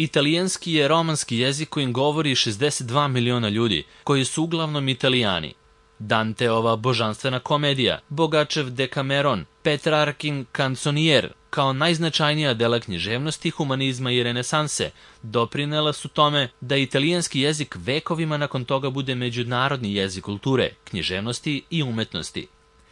Italijanski je romanski jezik kojim govori 62 miliona ljudi, koji su uglavnom Italijani. Danteova božanstvena komedija, Bogačev Dekameron, Petrarkin Kanconijer, kao najznačajnija dela književnosti, humanizma i renesanse, doprinela su tome da italijanski jezik vekovima nakon toga bude međunarodni jezik kulture, književnosti i umetnosti.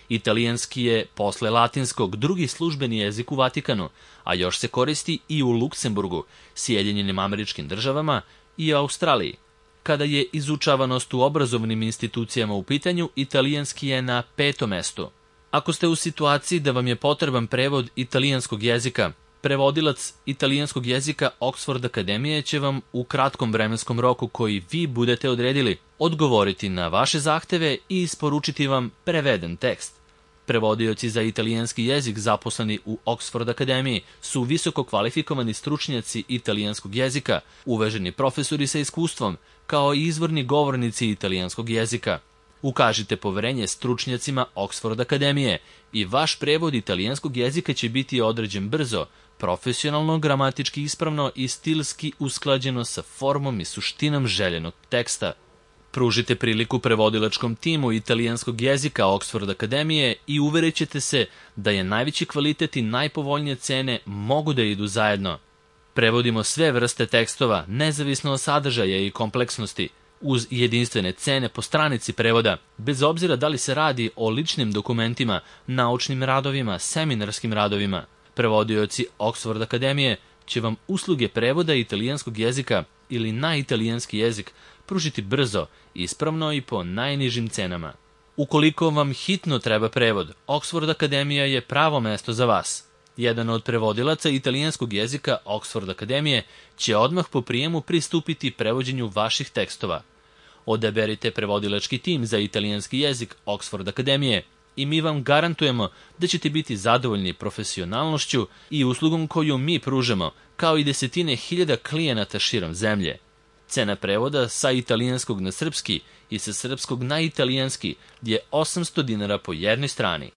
Italijanski je, posle latinskog, drugi službeni jezik u Vatikanu, a još se koristi i u Luksemburgu, Sjedinjenim Američkim Državama i Australiji. Kada je izučavanost u obrazovnim institucijama u pitanju, italijanski je na 5. mestu. Ako ste u situaciji da vam je potreban prevod italijanskog jezika, prevodilac italijanskog jezika Oxford Akademije će vam u kratkom vremenskom roku koji vi budete odredili odgovoriti na vaše zahteve i isporučiti vam preveden tekst. Prevodioci za italijanski jezik zaposleni u Oxford Akademiji su visoko kvalifikovani stručnjaci italijanskog jezika, uvaženi profesori sa iskustvom, kao i izvorni govornici italijanskog jezika. Ukažite poverenje stručnjacima Oxford Akademije i vaš prevod italijanskog jezika će biti određen brzo, profesionalno, gramatički ispravno i stilski usklađeno sa formom i suštinom željenog teksta. Pružite priliku prevodilačkom timu italijanskog jezika Oxford Akademije i uverit ćete se da je najveći kvalitet i najpovoljnije cene mogu da idu zajedno. Prevodimo sve vrste tekstova, nezavisno od sadržaja i kompleksnosti, uz jedinstvene cene po stranici prevoda, bez obzira da li se radi o ličnim dokumentima, naučnim radovima, seminarskim radovima. Prevodioci Oxford Akademije će vam usluge prevoda italijanskog jezika ili na italijanski jezik pružiti brzo, ispravno i po najnižim cenama. Ukoliko vam hitno treba prevod, Oxford Akademija je pravo mesto za vas. Jedan od prevodilaca italijanskog jezika Oxford Akademije će odmah po prijemu pristupiti prevođenju vaših tekstova. Odaberite prevodilački tim za italijanski jezik Oxford Akademije i mi vam garantujemo da ćete biti zadovoljni profesionalnošću i uslugom koju mi pružamo, kao i desetine hiljada klijenata širom zemlje. Cena prevoda sa italijanskog na srpski i sa srpskog na italijanski je 800 dinara po jednoj strani.